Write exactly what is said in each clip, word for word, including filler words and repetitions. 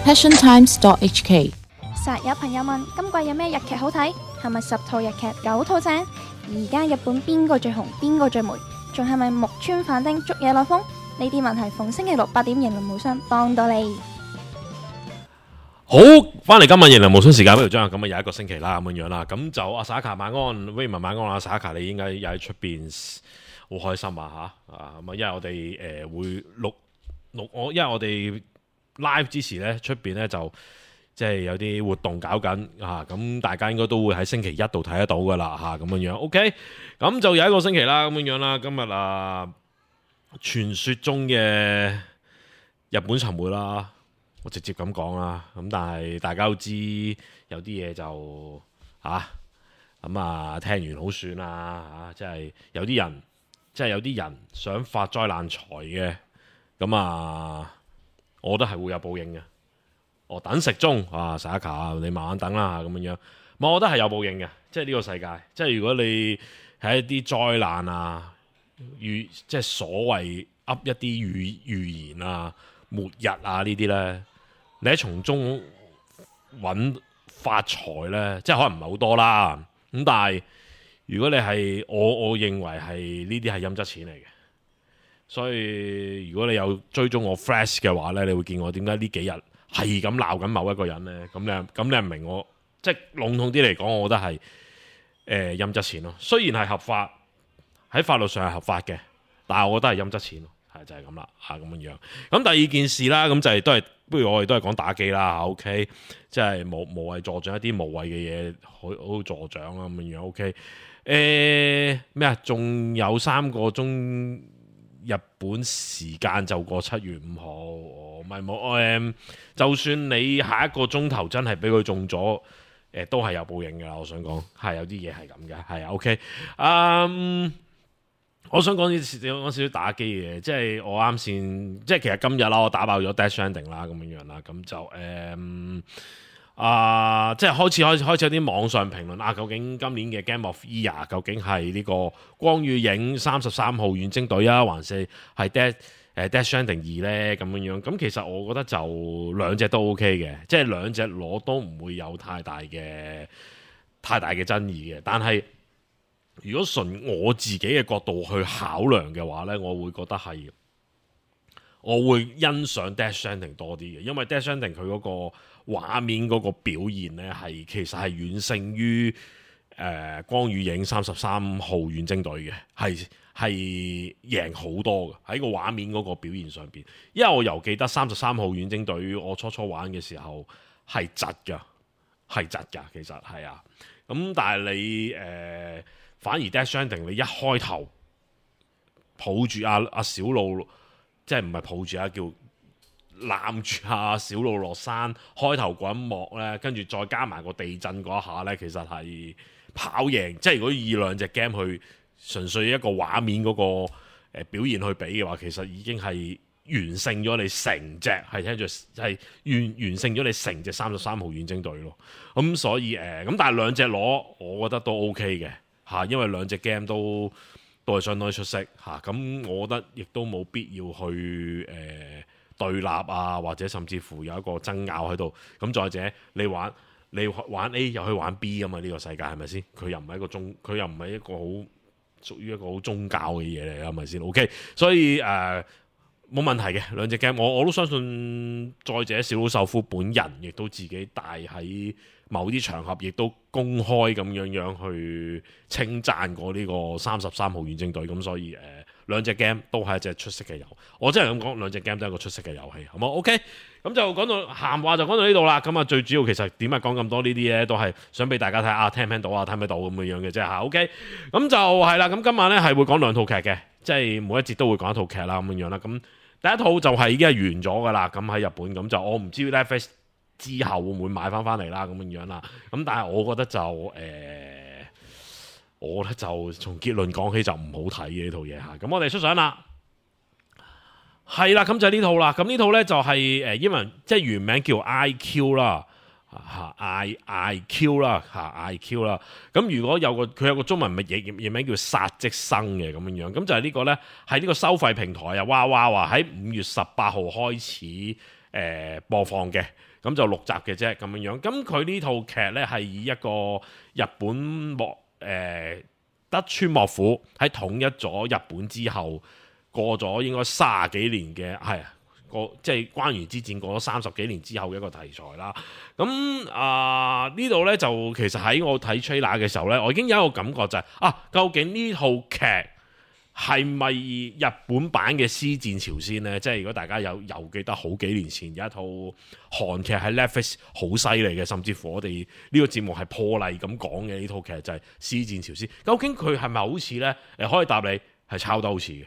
passion times dot h k。實有朋友問今季有咩日劇好睇？係咪十套日劇九套正？而家日本邊個最紅？邊個最霉？仲係咪木村反町捉嘢攞風？呢啲問題逢星期六八點迎來無雙幫到你。好，翻嚟今日迎來無雙時間，不如將咁啊又一個星期啦咁樣樣啦。咁就阿 Saka 晚安 Raymond 晚安啦 Saka 你應該又喺出邊好開心啊吓啊咁啊，因為我哋誒、呃、會錄錄我，因為我哋 live 之時咧出邊咧就。即係有啲活動搞緊啊，咁大家應該都會喺星期一度睇得到噶啦嚇，咁樣樣 OK，咁就有一個星期啦，咁樣樣啦。今日啊，傳說中嘅日本沉沒啦，我直接咁講啦。咁但係大家都知有啲嘢就嚇咁啊，聽完好算啦嚇，即係有啲人即係有啲人想發災難財嘅，咁啊，我覺得係會有報應嘅。我等食中啊 Saka 你慢慢等啦咁樣樣。我覺得係有報應嘅，即係呢個世界，即係如果你係一啲災難啊，預即係所謂噏一啲預預言啊、末日啊呢啲呢，你喺從中揾發財呢，即係可能唔係好多啦。咁但係如果你係我，我認為係呢啲係陰質錢嚟嘅。所以如果你有追蹤我 Flash 嘅話呢，你會見我點解呢幾日係咁鬧緊某一個人呢？咁你咁你係唔明我，即係籠統啲嚟講，我覺得係誒陰質錢咯。雖然係合法，喺法律上係合法嘅，但係我覺得係陰質錢咯，係就係咁啦嚇咁樣樣。咁第二件事啦，咁就係、是、都係不如我哋都係講打機啦 OK，即係無無謂助長一啲無謂嘅嘢，好好助長啦咁樣樣 OK。誒咩啊？仲有三個鐘。日本時間就過七月五號，唔係冇誒。就算你下一個鐘頭真係俾佢中咗，誒、呃、都係有報應㗎。我想講係有啲嘢係咁嘅，係啊 OK。嗯，我想講啲講少少打機嘅嘢，即係我啱先，即係其實今日啦，我打爆咗 Death Stranding 啦，咁樣樣啦，咁就誒。嗯啊、呃，即係開始開始開始有啲網上評論啊，究竟今年嘅 Game of Year 究竟係呢個光與影三十三號遠征隊啊，還是係 Death 誒 Death Stranding 二咧咁樣樣？咁其實我覺得就兩隻都 OK 嘅，即係兩隻攞都唔會有太大嘅太大嘅爭議嘅。但係如果純我自己嘅角度去考量嘅話咧，我會覺得係我會欣賞 Death Stranding 多啲嘅，因為 Death Stranding 佢嗰個畫面嗰個表現咧，係其實係遠勝於誒、呃、光與影三十三號遠征隊嘅，係係贏好多嘅喺個畫面嗰個表現上邊。因為我又記得三十三號遠征隊，我初初玩嘅時候係窒㗎，係窒㗎，其實係啊。咁但係你誒、呃、反而 Death Stranding 你一開頭抱住阿阿小路，即係唔係抱住啊叫？攬住下小路落山，開頭嗰一幕呢，跟住再加埋個地震嗰一下呢，其實係跑贏。即係如果以兩隻 game 去純粹一個畫面嗰個表現去比嘅話，其實已經係完勝咗你成隻係聽住係完完勝咗你成隻三十三號遠征隊咯。咁、嗯、所以誒，咁、呃、但係兩隻攞，我覺得都 OK 嘅嚇，因為兩隻 game 都都係相當出色嚇。咁、啊、我覺得亦都冇必要去誒。呃對立啊，或者甚至乎有一個爭拗喺度。咁再者，你玩你玩 A 又去玩 B 㗎嘛？呢、呢個世界係咪先？佢又唔係一個宗，佢又唔係一個好屬於一個好宗教嘅嘢嚟，係咪先 ？OK，所以誒冇、呃、問題嘅兩隻 game，我我都相信。再者，小島秀夫本人亦都自己帶喺某啲場合，亦都公開咁樣樣去稱讚過呢個三十三號遠征隊。咁所以誒。呃兩隻 game 都係一隻出色嘅遊戲，我真係咁講，兩隻 game 都係一個出色嘅遊戲，好冇 OK？咁就講到閒話就講到呢度啦。咁啊，最主要其實點解講咁多呢啲咧，都係想俾大家睇下聽唔聽到啊，聽唔聽到咁樣樣嘅啫嚇。OK？咁就係啦。咁今晚咧係會講兩套劇嘅，即係每一節都會講一套劇啦咁樣樣啦。咁第一套就係已經係完咗噶啦。咁喺日本咁就我唔知 Netflix 之後會唔會買翻翻嚟啦咁樣樣啦。咁但係我覺得就誒。呃我咧就從結論講起就唔好睇嘅呢套嘢嚇，咁我哋出相啦，係啦，咁就係呢套啦。咁呢套咧就係誒英文即係原名叫 I Q 啦，嚇 I I Q 啦，嚇 I Q 啦。咁如果有個佢有個中文名譯譯名叫殺即生嘅咁樣樣，咁就係呢個咧係呢個收費平台啊，哇哇哇喺五月十八號開始誒、呃、播放嘅。咁就六集嘅啫咁樣樣。咁佢呢套劇呢，係以一個日本幕誒、呃、德川幕府喺統一咗日本之後，過咗應該三十幾年嘅係個即係關原之戰過咗三十幾年之後嘅一個題材啦。咁啊呢度呢，就其實喺我睇 trailer 嘅時候呢，我已經有一個感覺就係、是、啊，究竟呢套劇係咪日本版嘅《屍戰朝鮮》呢？即係如果大家有有記得好幾年前有一套韓劇喺 Netflix 好犀利嘅，甚至乎我哋呢個節目係破例咁講嘅呢套劇就係、是《屍戰朝鮮》。究竟佢係咪好似呢？誒，可以答你係抄得好似嘅，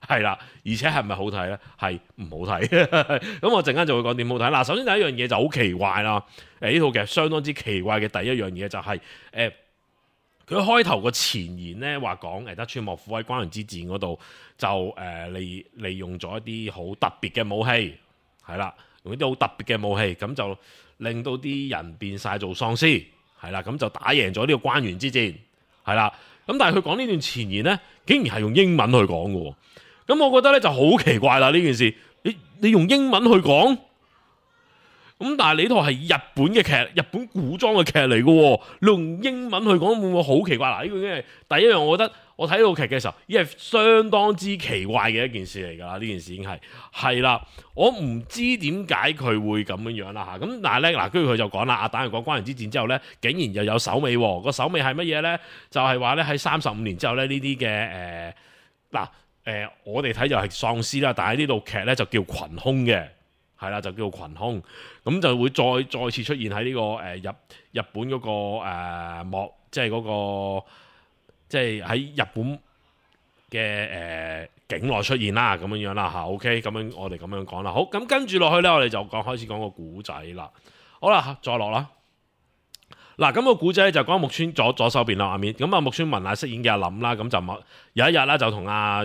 係啦。而且係咪好睇呢？係唔好睇。咁我陣間就會講點好睇。嗱，首先第一樣嘢就好奇怪啦。誒，呢套劇相當之奇怪嘅第一樣嘢就係、是、誒。呃佢開頭個前言咧話講誒德川幕府喺關原之戰嗰度就誒利利用咗一啲好特別嘅武器，係啦，用一啲好特別嘅武器，咁就令到啲人變晒做喪屍，係啦，咁就打贏咗呢個關原之戰，係啦。咁但係佢講呢段前言咧，竟然係用英文去講嘅，咁我覺得咧就好奇怪啦呢件事，你你用英文去講？咁但係你呢套係日本嘅劇，日本古裝嘅劇嚟嘅，你用英文去講會唔會好奇怪？嗱，呢個已經係第一樣，我覺得我睇套劇嘅時候，已經係相當之奇怪嘅一件事嚟㗎啦。呢件事已經係係啦，我唔知點解佢會咁樣樣啦嚇。咁但係咧嗱，跟住佢就講啦，啊打完個關原之戰之後咧，竟然又有首尾喎。個首尾係乜嘢咧？就係話咧喺三十五年之後咧，呢啲嘅誒嗱誒，我哋睇就係喪屍啦，但係呢套劇咧就叫群兇嘅。係啦，就叫做群兇，咁就會再再次出現喺呢、這個誒、呃、日日本嗰、那個誒幕、呃，即係嗰、那個即係喺日本嘅誒、呃、境內出現啦，咁樣樣啦嚇。OK，咁樣我哋咁樣講啦。好，咁跟住落去咧，我哋就講開始講個古仔啦。好啦，再落啦。嗱，咁個古仔就講木村左左手邊啦，畫面咁啊，木村文乃飾演嘅阿林啦，咁就有一日啦，就同阿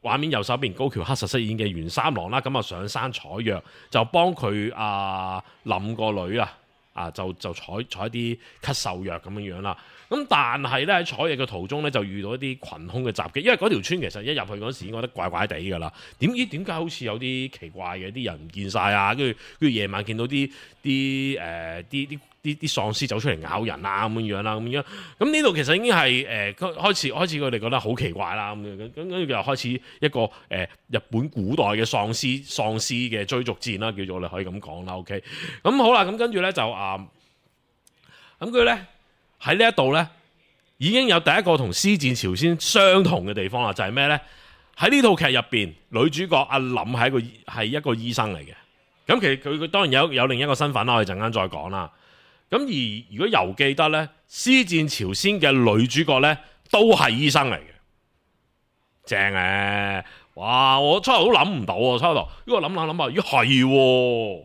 畫面右手邊高橋克實飾演嘅袁三郎啦，咁啊上山採藥，就幫佢阿林個女啊，啊就就採採一啲咳嗽藥咁樣樣啦。咁但係咧喺採藥嘅途中咧，就遇到一啲群兇嘅襲擊，因為嗰條村其實一入去嗰時已經覺得怪怪地㗎啦。點知點解好似有啲奇怪嘅，啲人唔見晒啊，跟住跟住夜晚見到啲啲誒啲啲。啲啲喪屍走出嚟咬人啊咁樣樣啦，咁樣咁呢度其實已經係誒、呃、開始開始佢哋覺得好奇怪啦，咁樣咁跟住又開始一個誒、呃、日本古代嘅喪屍喪屍嘅追逐戰啦，叫做你可以咁講啦。OK，咁好啦，咁跟住咧就啊，咁佢咧喺呢一度咧已經有第一個同《屍戰朝鮮》相同嘅地方啦，就係咩咧？喺呢套劇入邊，女主角阿林係一個係一個醫生嚟嘅，咁其實佢佢當然有有另一個身份啦，我哋陣間再講啦。咁而如果又記得咧，《屍戰朝鮮》嘅女主角咧都係醫生嚟嘅，正嘅、啊。哇！我初頭都諗唔到啊，初頭因為我諗下諗下，咦係喎，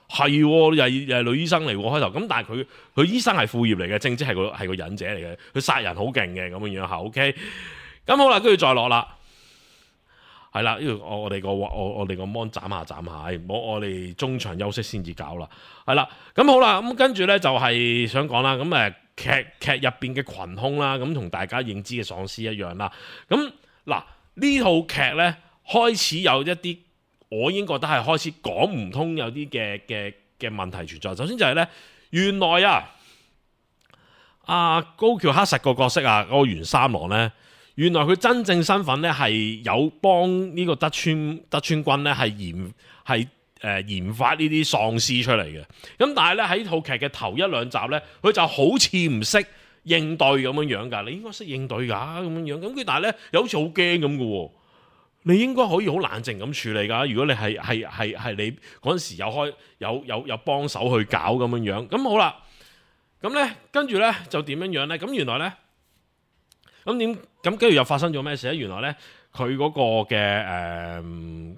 係喎，又係又係女醫生嚟喎開頭。咁但係佢佢醫生係副業嚟嘅，正職係個係個忍者嚟嘅，佢殺人好勁嘅咁樣樣嚇。OK，咁好啦，跟住再落啦。係啦，呢度我我哋個我我哋個 mon 斬下斬下，唔好我哋中場休息先至搞啦。係啦，咁好啦，咁跟住咧就係想講啦，咁誒劇劇入邊嘅群兇啦，咁同大家認知嘅喪屍一樣啦。咁嗱呢套劇咧開始有一啲，我已經覺得係開始講唔通，有啲嘅嘅嘅問題存在。首先就係咧，原來啊，阿高橋克實個角色啊，嗰個袁三郎咧。原來佢真正身份咧係有幫呢個德川德川軍咧係研係誒、呃、研發呢啲喪屍出嚟嘅。咁但係咧喺套劇嘅頭一兩集咧，佢就好似唔識應對咁樣樣㗎。你應該識應對㗎咁樣樣。咁佢但係咧又好似好驚咁嘅喎。你應該可以好冷靜咁處理㗎。如果你係係係係你嗰陣時有開有有有幫手去搞咁樣樣。咁好啦，咁咧跟住咧就點樣樣咧？咁原來咧。咁點咁跟住又發生咗咩事咧？原來咧佢嗰個嘅誒、呃、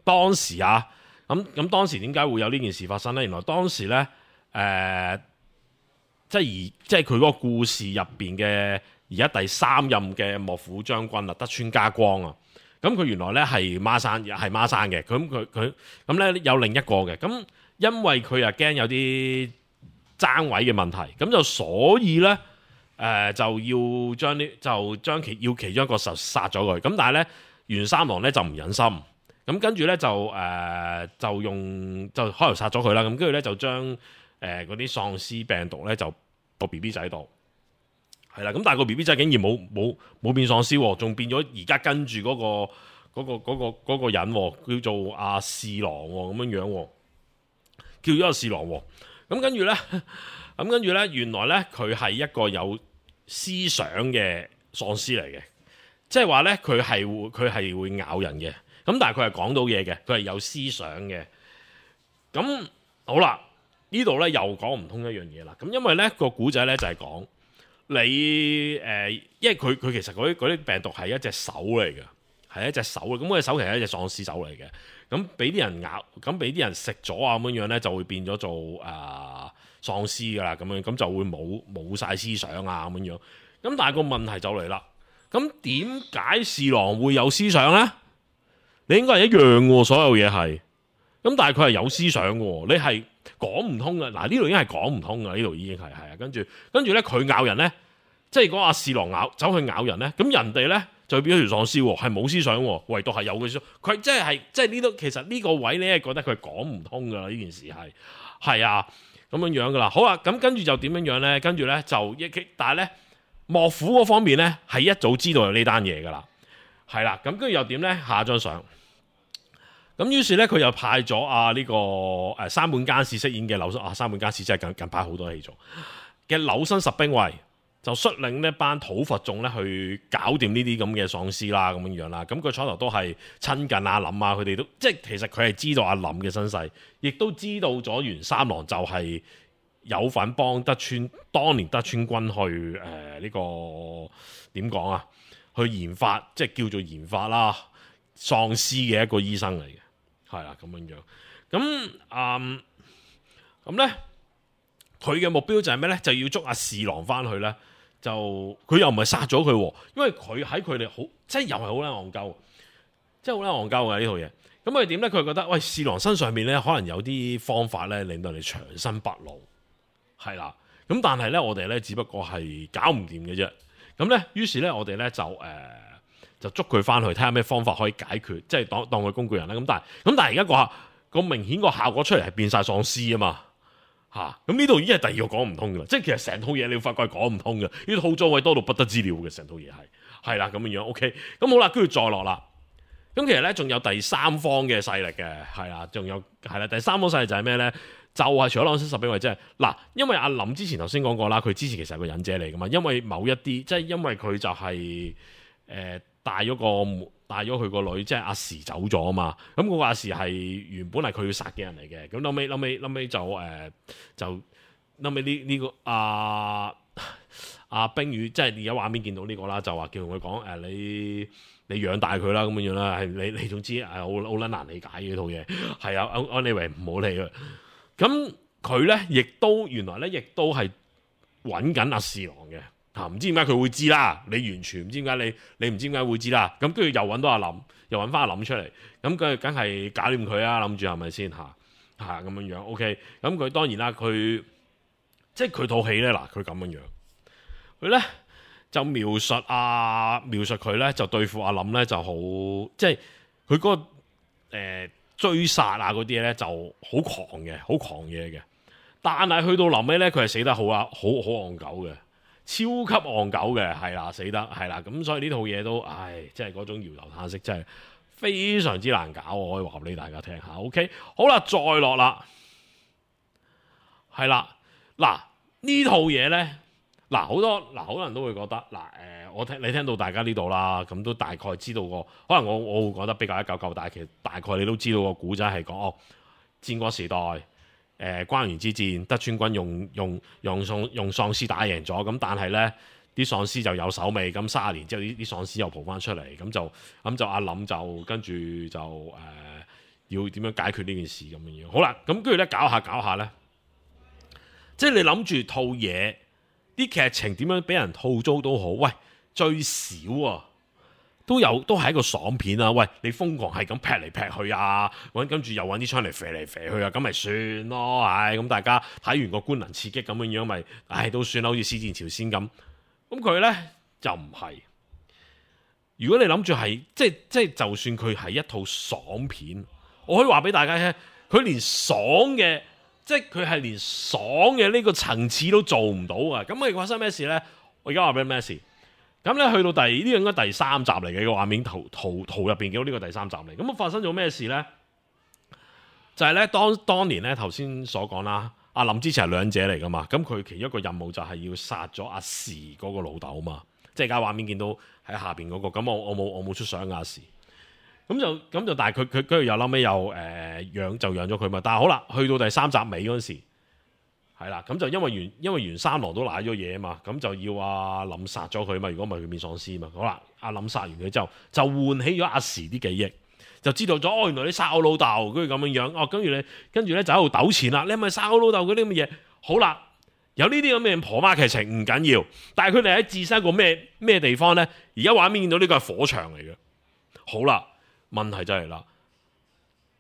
當時啊，咁咁當時點解會有呢件事發生咧？原來當時咧誒、呃、即係而即係佢嗰個故事入邊嘅而家第三任嘅幕府將軍啊，德川家光啊，咁佢原來咧係孖生，係孖生嘅。咁佢佢咁咧有另一個嘅。咁因為佢又驚有啲爭位嘅問題，咁就所以咧。誒、呃、就要將呢就將其要其中一個實殺咗佢，咁但係咧袁三郎咧就唔忍心，咁跟住咧就誒、呃、就用就開頭殺咗佢啦。咁跟住咧就將誒嗰啲喪屍病毒咧就個 B B 仔度係啦。咁但係個 B B 仔竟然冇冇冇變喪屍，仲變咗而家跟住嗰個嗰、嗰個嗰、嗰個嗰個人叫做阿侍郎咁樣樣，叫咗阿侍郎。咁跟住咧，咁跟住咧，原來咧佢係一個有思想嘅喪屍嚟嘅，即係話咧佢係會佢係會咬人嘅。咁但係佢係講到嘢嘅，佢係有思想嘅。咁好啦，呢度咧又講唔通一樣嘢啦。咁因為咧個古仔咧就係講你誒、呃，因為佢佢其實嗰啲嗰啲病毒係一隻手嚟嘅，係一隻手。咁嗰隻手其實係一隻喪屍手嚟嘅。咁俾啲人咬，咁俾啲人食咗啊咁樣樣咧，就會變咗做誒、呃、喪屍噶啦。咁樣咁就會冇冇曬思想啊咁樣樣。咁但係個問題就嚟啦。咁點解侍郎會有思想咧？你應該係一樣喎，所有嘢係。咁但係佢係有思想喎，你係講唔通嘅。嗱，呢度已經係講唔通嘅，呢度已經係係啊。跟住跟住咧，佢咬人咧，即係如果阿侍郎咬走去咬人咧，咁人哋咧就變咗條喪屍喎，係冇思想喎，唯獨係有嘅思想。佢即係係即係呢度，其實呢個位你係覺得佢係講唔通㗎啦。呢件事係係啊咁樣樣㗎啦。好啦，咁跟住就點樣樣咧？跟住咧就一但係咧幕府嗰方面咧係一早知道有呢單嘢㗎啦，係啦。咁跟住又點咧？下一張相。咁於是咧，佢又派咗啊呢個誒山本耕史飾演嘅柳生啊，山本耕史真係近近排好多戲做嘅柳生十兵衛，就率領呢班討伐眾咧去搞掂呢啲咁嘅喪屍啦，咁樣樣啦。咁佢初頭都係親近阿林啊，佢哋都即係其實佢係知道阿林嘅身世，亦都知道咗袁三郎就係有份幫德川當年德川軍去誒呢、呃這個點講啊，去研發即係叫做研發啦喪屍嘅一個醫生嚟嘅。係啦，咁樣樣，咁嗯，咁咧，佢嘅目標就係咩咧？就要捉阿侍郎翻去咧，就佢又唔係殺咗佢，因為佢喺佢哋好，即係又係好撚戇鳩，即係好撚戇鳩嘅呢套嘢。咁佢點咧？佢覺得喂，侍郎身上面咧，可能有啲方法咧，令到你長生不老，係啦。咁但係咧，我哋咧只不過係搞唔掂嘅啫。咁咧，於是咧，我哋咧就誒。呃就捉佢翻去睇下咩方法可以解決，即係當當佢工具人啦。咁但係咁但係而家個個明顯個效果出嚟係變晒喪屍啊嘛嚇！咁呢度已經係第二個講唔通嘅啦。即係其實成套嘢你要發覺係講唔通嘅，呢套裝位多到不得之了嘅，成套嘢係係啦咁樣樣。OK，咁好啦，跟住再落啦。咁其實咧仲有第三方嘅勢力嘅，係啦，仲有係啦，第三方勢力就係咩咧？就係、是、除咗柳生十兵衛，即係嗱，因為阿林之前頭先講過啦，佢之前其實係個忍者嚟噶嘛，因為某一啲即係因為佢就係、是、誒。呃帶咗個帶咗佢個女，即係阿時走咗啊嘛。咁、那、嗰個阿時係原本係佢要殺嘅人嚟嘅。咁後尾後尾後尾就誒、呃、就後尾呢呢個阿阿冰羽，即係而家畫面見到呢、這個啦，就話叫佢講誒你你養大佢啦咁樣樣啦。係你你總之係好好撚難理解嘅呢套嘢。係啊，安安利維唔好理佢。咁佢咧亦都原來咧亦都係揾緊阿侍郎嘅。唔、啊、知點解佢會知啦？你完全唔知點解你你唔知點解會知啦？咁跟住又揾到阿林，又揾翻阿林出嚟，咁佢梗係搞掂佢啊！諗住係咪先嚇嚇咁樣樣？OK，咁佢當然啦，佢即係佢套戲咧嗱，佢咁樣樣，佢咧就描述啊描述佢咧就對付阿林咧就好，即係佢嗰個、呃、追殺啊嗰啲咧就好狂嘅，好狂嘢嘅。但係去到臨尾咧，佢係死得好啊，好好戇鳩嘅。超級戇鳩嘅，係啦，死得係啦，咁所以呢套嘢都，唉，即係嗰種搖頭嘆息，真係非常之難搞，我可以話俾大家聽下。OK， 好啦，再落啦，係啦，嗱呢套嘢咧，嗱好多嗱好多人都會覺得，嗱誒、呃，我聽你聽到大家呢度啦，咁都大概知道個，可能我我會覺得比較一九九，但係其實大概你都知道個古仔係講哦，戰國時代。誒、呃、關原之戰，德川軍用用用喪用喪屍打贏咗，咁但係咧啲喪屍就有手尾，咁三十年之後啲啲喪屍又蒲翻出嚟，咁就咁就阿林就跟住就誒、呃、要點樣解決呢件事咁樣樣。好啦，咁跟住咧搞下搞下咧，即係你諗住套嘢啲劇情點樣俾人套租都好，喂最少啊！都有都係一個爽片啊！喂，你瘋狂係咁劈嚟劈去啊，跟住又揾啲槍嚟射嚟射去啊，咁咪算咯，唉，咁大家睇完個官能刺激咁樣樣，咪唉都算啦，好似《屍戰朝鮮》咁。咁佢咧就唔係，如果你諗住係即係即係，就算佢係一套爽片，我可以話俾大家聽，佢連爽嘅，即係佢係連爽嘅呢個層次都做唔到啊！咁佢發生咩事呢？我而家話俾你咩事？咁咧去到第呢個應該第三集嚟嘅個畫面圖圖圖入邊見到呢個第三集嚟，咁啊發生咗咩事呢？就係、是、咧當當年咧頭先所講啦。阿林之前係兩者嚟噶嘛，咁佢其中一個任務就係要殺咗阿時嗰個老豆嘛，即係而家畫面見到喺下邊嗰、那個，咁我我冇我冇出相阿時，咁就咁就，但係佢佢跟住又嬲尾又誒、呃、養就養咗佢嘛，但係好啦，去到第三集尾嗰陣時，係啦，咁就因為袁因為袁三郎都賴咗嘢啊嘛，咁就要阿林殺咗佢嘛，如果唔係佢變喪屍嘛，好啦，阿林殺完佢之後，就喚起咗阿時啲記憶。就知道咗哦，原來你殺我老豆，跟住咁樣樣哦，跟住你跟住咧就喺度糾纏啦。你係咪殺我老豆嗰啲咁嘅嘢？好啦，有呢啲咁嘅婆媽劇情唔緊要，但係佢哋喺置身一個咩咩地方咧？而家畫面見到呢個係火場嚟嘅。好啦，問題就係啦，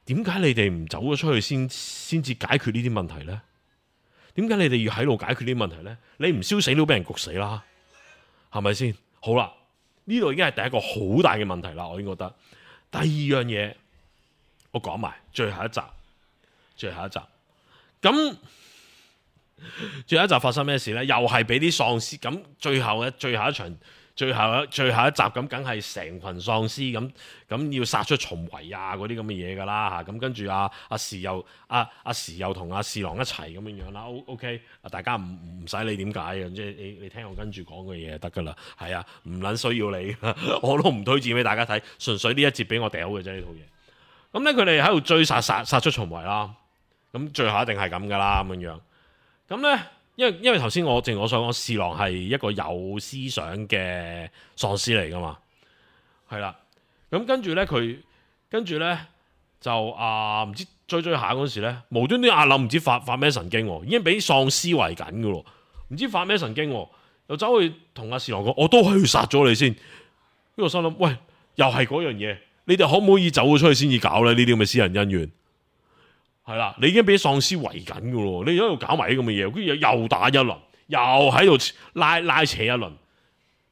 點解你哋唔走咗出去先先至解決呢啲問題咧？點解你哋要喺度解決呢啲問題咧？你唔燒死都俾人焗死啦，係咪先？好啦，呢度已經係第一個好大嘅問題啦，我已經覺得。第二樣嘢，我講埋最後一集，最後一集，咁最後一集發生咩事呢？又係俾啲喪屍咁，最後嘅最後一場，最後一最後一集咁，梗係成群喪屍咁咁要殺出重圍啊嗰啲咁嘅嘢噶啦嚇，咁跟住阿阿時又阿阿時又同阿侍郎一齊咁樣樣啦。O OK，大家唔唔使理點解嘅，即係你你聽我跟住講嘅嘢就得噶啦。係啊，唔撚需要你，我都唔推薦俾大家睇，純粹呢一節俾我掉嘅啫呢套嘢。咁咧佢哋喺度追殺殺殺出重圍啦，咁最後一定係咁噶啦咁樣樣。咁咧。因為因為頭先我正如我所講，侍郎係一個有思想嘅喪屍嚟噶嘛，係啦。咁跟住咧，佢跟住咧就啊唔知追追下嗰時咧，無端端阿林唔知發發咩神經，已經俾喪屍圍緊噶咯，唔知發咩神經，又走去同阿侍郎講，我都係要殺咗你先。呢個心諗，喂，又係嗰樣嘢，你哋可唔可以走咗出去先至搞咧？呢啲咁嘅私人恩怨。係啦，你已經俾喪屍圍緊噶咯，你喺度搞埋啲咁嘅嘢，跟住又打一輪，又喺度拉拉扯一輪，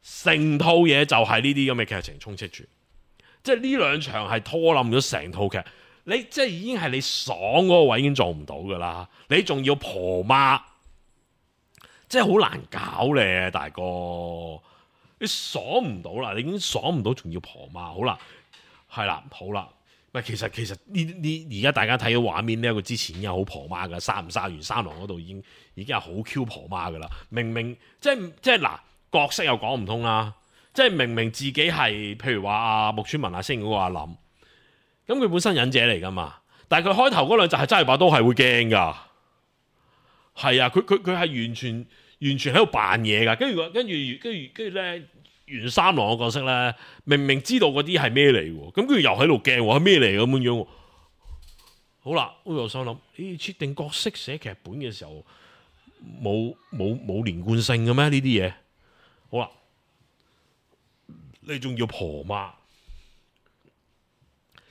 成套嘢就係呢啲咁嘅劇情充斥住，即係呢兩場係拖冧咗成套劇。你即係已經係你爽嗰個位已經做唔到噶啦，你仲要婆媽，即係好難搞咧，大哥，你爽唔到啦，你已經爽唔到，仲要婆媽，好啦，係啦，好啦。其實其實呢呢而家大家睇到畫面呢一個之前已經好婆媽噶，殺唔殺完三郎嗰度已經已經係好 Q 婆媽噶啦。明明即係即係嗱角色又講唔通啦，即係明明自己係譬如話阿木村文阿星嗰個阿林，咁佢本身忍者嚟噶嘛，但係佢開頭嗰兩集係真係把刀係會驚噶，係啊，佢佢佢係完全完全喺度扮嘢噶，跟住跟住跟住跟住咧。袁三郎嘅角色咧，明明知道嗰啲係咩嚟喎，咁跟住又喺度驚喎，係咩嚟咁樣樣？好啦，我又心諗，你設定角色寫劇本嘅時候，冇冇冇連貫性嘅咩？呢啲嘢，好啦，你仲要婆媽，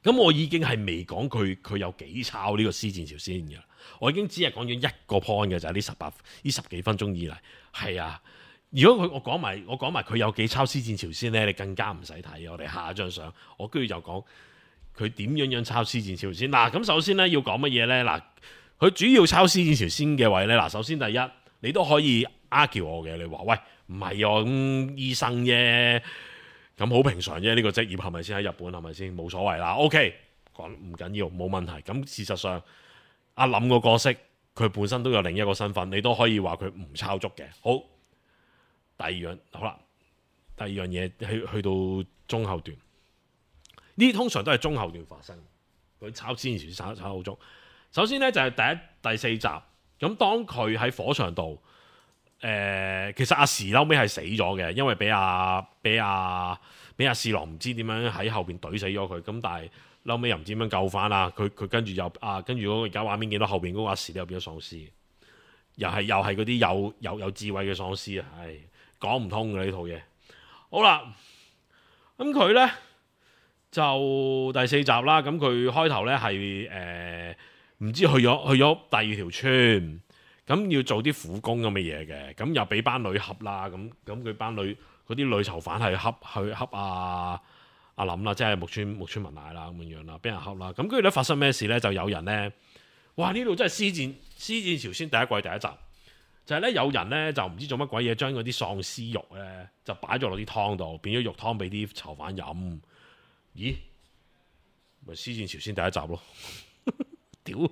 咁我已經係未講佢佢有幾抄呢個屍戰朝鮮嘅，我已經只係講咗一個 point 嘅，就係呢十八呢十幾分鐘以嚟，係啊。如果佢我講埋我講埋佢有幾抄屍戰朝鮮咧，你更加唔使睇。我哋下一張相，我跟住就講佢點樣樣抄屍戰朝鮮。嗱，咁首先咧要講乜嘢咧？嗱，佢主要抄屍戰朝鮮嘅位咧，嗱，首先第一，你都可以 argue 我嘅，你話喂唔係啊，咁醫生啫，咁好平常啫，呢、這個職業係咪先喺日本係咪先冇所謂啦 ？OK，講唔緊要，冇問題。咁事實上，阿林個角色佢本身都有另一個身份，你都可以話佢唔抄足嘅。好。第二樣好啦，第二樣嘢去去到中後段，呢啲通常都係中後段發生。佢抄之前抄抄好足。首先咧就係、是、第一第四集，咁當佢喺火場度，誒、呃、其實阿時嬲尾係死咗嘅，因為俾阿俾阿俾阿侍郎唔知點樣喺後邊懟死咗佢，咁但係嬲尾又唔知點樣救翻啦。佢佢跟住又啊跟住嗰個而家畫面見到後邊嗰個阿時咧又變咗喪屍，又係又係嗰啲有有有智慧嘅喪屍啊，係。講唔通嘅呢套嘢，好啦，咁佢呢就第四集啦，咁佢開頭呢係誒唔知去咗去咗第二條村，咁要做啲苦工咁嘅嘢嘅，咁又俾班女俠啦，咁咁佢班女嗰啲女囚犯係恰去恰阿阿林啦，即係木村木村文乃啦咁樣樣啦，俾人恰啦。咁跟住咧發生咩事咧？就有人咧，哇！呢度真係屍戰屍戰朝鮮第一季第一集，就係、是、咧有人咧就唔知做乜鬼嘢，將嗰啲喪屍肉咧就擺咗落啲湯度，變咗肉湯俾啲囚犯飲。咦？咪屍戰朝鮮第一集咯，屌！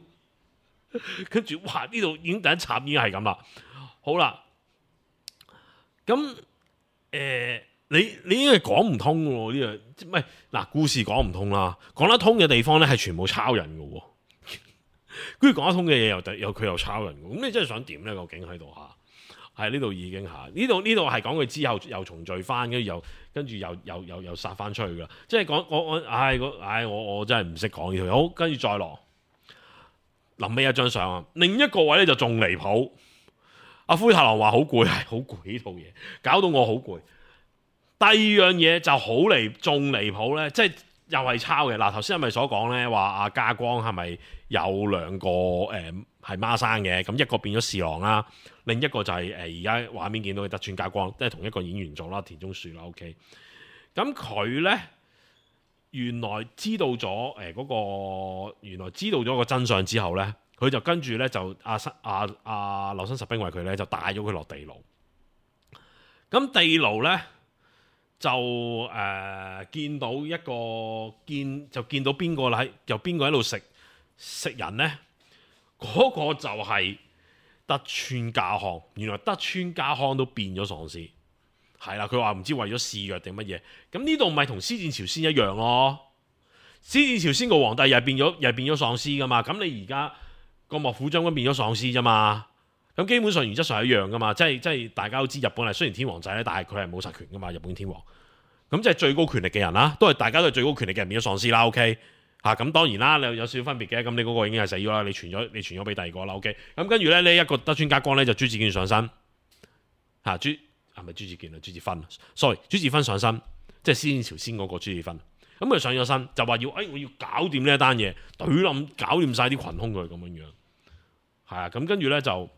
跟住哇，呢度已經第一集已經係咁啦。好啦，咁誒、呃，你你應該講唔通喎呢樣，唔係嗱，故事講唔通啦，講得通嘅地方咧係全部抄人嘅喎，跟住講得通嘅嘢又又佢又抄人嘅，咁你真係想點咧？究竟喺度嚇？係呢度已經嚇，呢度呢度係講佢之後又重聚翻，跟住又跟住又又又又殺翻出去噶，即係講我我唉我唉我我真係唔識講呢條，好，跟住再落。臨尾一張相啊，另一個位咧就仲離譜。阿灰太狼話好攰，係好攰呢套嘢，搞到我好攰。第二樣嘢就好離，仲離譜咧，即係又係抄嘅。嗱，頭先係咪所講咧話阿家光係咪有兩個誒係孖生嘅？咁一個變咗侍郎啦，另一個就係誒而家畫面見到嘅德川家光，即係同一個演員做啦，田中樹啦。OK，咁佢咧。原來知道咗誒嗰個，原來知道咗個真相之後咧，佢就跟住咧就阿阿阿柳生十兵衛佢咧就帶咗佢落地牢。咁地牢咧就誒、呃、見到一個見就見到邊個啦？又邊個喺度食食人咧？嗰、那個就係德川家康。原來德川家康都變咗喪屍。係啦，佢話唔知為咗試藥定乜嘢，咁呢度咪同屍戰朝鮮一樣咯。屍戰朝鮮個皇帝又係變咗，又係變咗喪屍噶嘛。咁你而家個幕府將軍變咗喪屍啫嘛。咁基本上原則上係一樣噶嘛。即係即係大家都知日本係雖然天皇仔咧，但係佢係冇實權噶嘛。日本天皇咁即係最高權力嘅人啦，都係大家都係最高權力嘅人變咗喪屍啦。OK 嚇，咁當然啦，你有少少分別嘅。咁你嗰個已經係死咗啦，你傳咗你傳咗俾第二個啦。OK，咁跟住咧呢一個德川家光咧就朱子建上身嚇朱。係咪朱子健啊？朱子芬 sorry， 朱子芬上身，即係屍戰朝鮮嗰個朱子芬。咁佢上咗身，就話要，誒、哎，我要搞掂呢一單嘢，懟冧，搞掂晒啲群兇佢咁樣樣。係啊，咁跟住咧就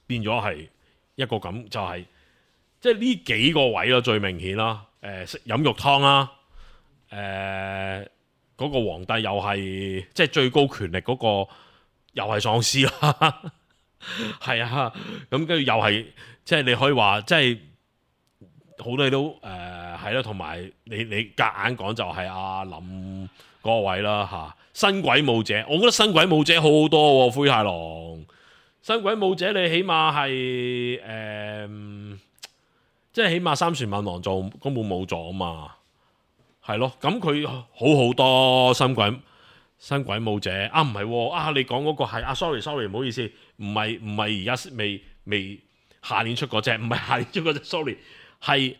變咗係一個咁，就係、是、即係呢幾個位咯，最明顯啦。誒、呃，食飲肉湯啦，誒、呃，嗰、那個皇帝又係即係最高權力嗰、那個，又係喪屍啦。係啊，咁跟住又係。即係你可以話，即係好多嘢都誒係啦，同、呃、埋你你夾硬講就係阿林嗰個位啦嚇。新鬼武者，我覺得新鬼武者好好多喎、哦，灰太狼。新鬼武者你起碼係誒、呃，即係起碼三船敏郎做根本冇咗啊嘛，係咯。咁佢好好多新鬼新鬼武者啊，唔係喎啊，你講嗰個係啊 ，sorry sorry，唔好意思，唔係唔係而家未未。下年出嗰隻，唔係下年出嗰隻 sorry， 係誒、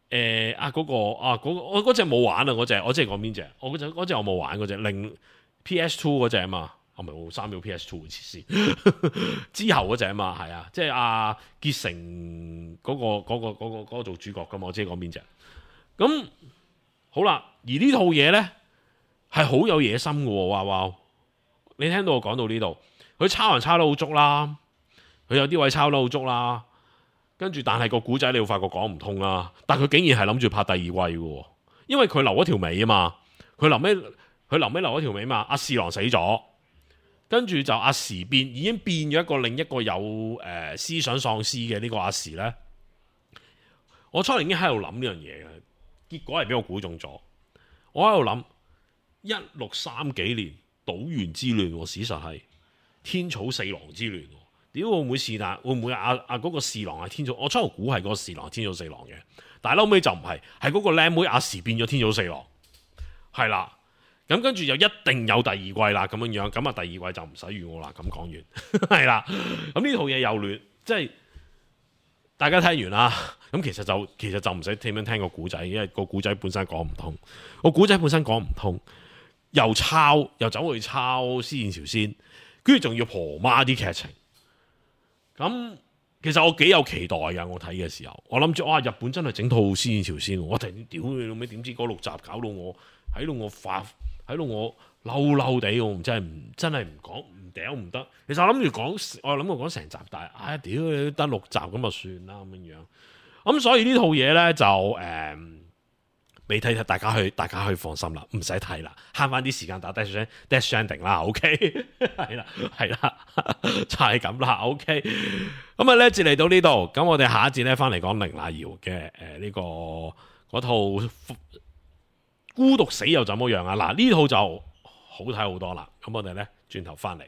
呃、啊嗰、那個啊嗰、那個我嗰隻冇玩啊嗰隻，我即係講邊隻？我嗰隻嗰隻我冇玩嗰隻，令 P S two 嗰隻啊嘛，我唔係三秒 P S two 嘅設施之後嗰隻啊嘛，係啊，即係阿結成嗰、那個嗰、那個嗰、那個那個那個做主角噶嘛，我知係講邊隻？咁好啦，而呢套嘢咧係好有野心嘅喎，哇哇！你聽到我講到呢度，佢抄人抄得好足啦。佢有啲位抄得好足啦，跟住但係個古仔你會發覺講唔通啦。但佢竟然係諗住拍第二季嘅，因為佢留咗條尾啊嘛。佢臨尾佢臨尾留咗條尾嘛。阿侍郎死咗，跟住就阿時變已經變咗一個另一個有誒、呃、思想喪屍嘅呢個阿時咧。我初年已經喺度諗呢樣嘢嘅，結果係俾我估中咗。我喺度諗一六三幾年島原之亂，事實係天草四郎之亂。屌會唔會是但？會唔會阿阿嗰個侍郎係天草？我初頭估係嗰個侍郎天草四郎嘅，但係後尾就唔係，係嗰個靚妹阿時變咗天草四郎，係啦。咁跟住就一定有第二季啦，咁樣樣，咁啊第二季就唔使預我啦。咁講完係啦，咁呢套嘢又亂，即係大家聽完啦。咁其實就其實就唔使點樣聽個古仔，因為個古仔本身講唔通，個古仔本身講唔通，又抄又走去抄《屍戰朝鮮》，跟住仲要婆媽啲劇情。咁其實我幾有期待㗎，我睇嘅時候，我諗住哇，日本真係整套《屍戰朝鮮》，我突然屌你老味，點知嗰六集搞到我喺度我發喺度我嬲嬲地，我唔真係唔真係唔講唔屌唔得。其實我諗住講，我諗住講成集，但係唉屌你得六集咁就算啦咁樣樣。咁所以呢套嘢咧就誒未睇睇，大家去大家去放心啦，唔使睇啦，慳翻啲時間打 Death Stranding 啦 ，OK 係啦係啦，就係咁啦 ，OK。咁啊呢一節嚟到呢度，咁我哋下一節咧翻嚟講凌娜瑤嘅誒呢個嗰套孤獨死又怎麼樣啊？嗱呢套就好睇好多啦，咁我哋咧轉頭翻嚟。